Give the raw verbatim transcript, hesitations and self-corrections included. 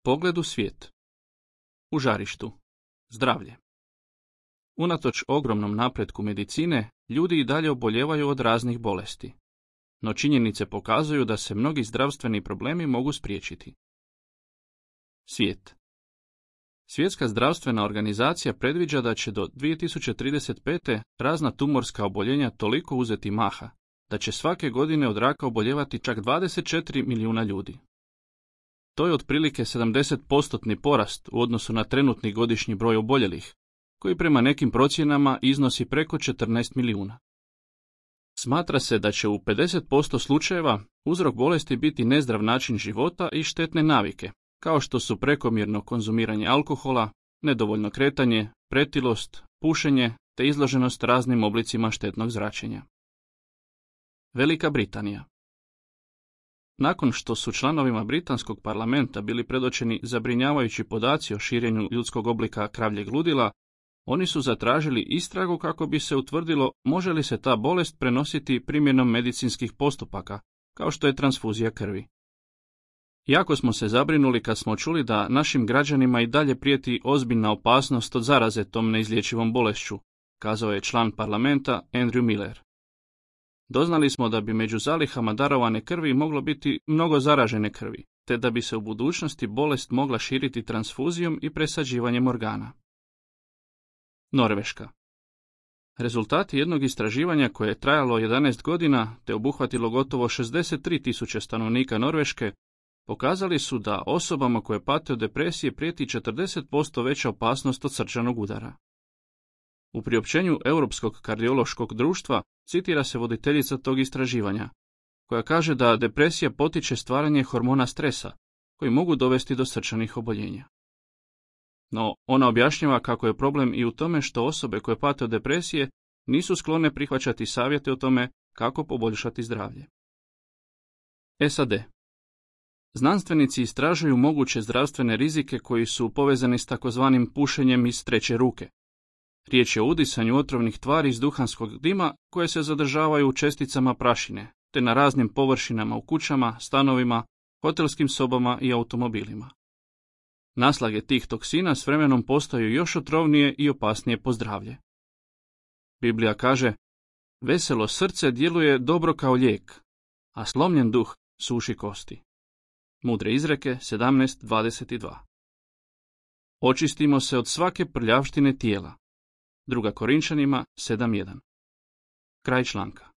Pogled u svijet. U žarištu. Zdravlje. Unatoč ogromnom napretku medicine, ljudi i dalje oboljevaju od raznih bolesti. No činjenice pokazuju da se mnogi zdravstveni problemi mogu spriječiti. Svijet. Svjetska zdravstvena organizacija predviđa da će do dvije tisuće trideset pete razna tumorska oboljenja toliko uzeti maha, da će svake godine od raka oboljevati čak dvadeset četiri milijuna ljudi. To je otprilike sedamdeset posto porast u odnosu na trenutni godišnji broj oboljelih, koji prema nekim procjenama iznosi preko četrnaest milijuna. Smatra se da će u pedeset posto slučajeva uzrok bolesti biti nezdrav način života i štetne navike, kao što su prekomjerno konzumiranje alkohola, nedovoljno kretanje, pretilost, pušenje te izloženost raznim oblicima štetnog zračenja. Velika Britanija. Nakon što su članovima britanskog parlamenta bili predočeni zabrinjavajući podaci o širenju ljudskog oblika kravljeg ludila, oni su zatražili istragu kako bi se utvrdilo može li se ta bolest prenositi primjenom medicinskih postupaka, kao što je transfuzija krvi. Jako smo se zabrinuli kad smo čuli da našim građanima i dalje prijeti ozbiljna opasnost od zaraze tom neizlječivom bolešću, kazao je član parlamenta Andrew Miller. Doznali smo da bi među zalihama darovane krvi moglo biti mnogo zaražene krvi, te da bi se u budućnosti bolest mogla širiti transfuzijom i presađivanjem organa. Norveška. Rezultati jednog istraživanja koje je trajalo jedanaest godina te obuhvatilo gotovo šezdeset tri tisuće stanovnika Norveške pokazali su da osobama koje pate od depresije prijeti četrdeset posto veća opasnost od srčanog udara. U priopćenju Europskog kardiološkog društva citira se voditeljica tog istraživanja, koja kaže da depresija potiče stvaranje hormona stresa, koji mogu dovesti do srčanih oboljenja. No, ona objašnjava kako je problem i u tome što osobe koje pate od depresije nisu sklone prihvaćati savjete o tome kako poboljšati zdravlje. S A D. Znanstvenici istražuju moguće zdravstvene rizike koji su povezani s takozvanim pušenjem iz treće ruke. Riječ je o udisanju otrovnih tvari iz duhanskog dima koje se zadržavaju u česticama prašine, te na raznim površinama u kućama, stanovima, hotelskim sobama i automobilima. Naslage tih toksina s vremenom postaju još otrovnije i opasnije po zdravlje. Biblija kaže, veselo srce djeluje dobro kao lijek, a slomljen duh suši kosti. Mudre izreke sedamnaest dvadeset dva. Očistimo se od svake prljavštine tijela. Druga Korinčanima sedam jedan. Kraj članka.